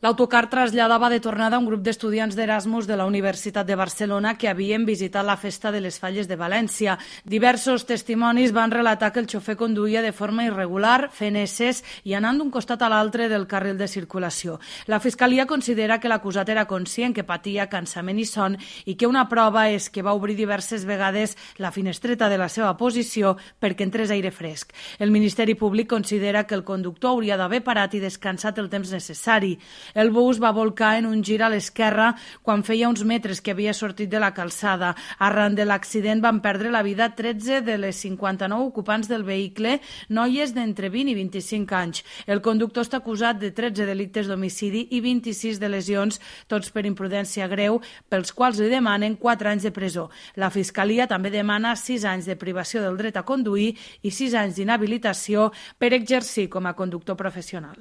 L'autocar traslladava de tornada un grup d'estudiants d'Erasmus de la Universitat de Barcelona que havien visitat la Festa de les Falles de València. Diversos testimonis van relatar que el xofer conduïa de forma irregular, fent esses i anant d'un costat a l'altre del carril de circulació. La Fiscalia considera que l'acusat era conscient que patia cansament i son i que una prova és que va obrir diverses vegades la finestreta de la seva posició perquè entrés aire fresc. El Ministeri Públic considera que el conductor hauria d'haver parat i descansat el temps necessari. El bus va volcar en un gir a l'esquerra quan feia uns metres que havia sortit de la calçada. Arran de l'accident van perdre la vida 13 de les 59 ocupants del vehicle, noies d'entre 20 i 25 anys. El conductor està acusat de 13 delictes d'homicidi i 26 de lesions, tots per imprudència greu, pels quals li demanen 4 anys de presó. La Fiscalia també demana 6 anys de privació del dret a conduir i 6 anys d'inhabilitació per exercir com a conductor professional.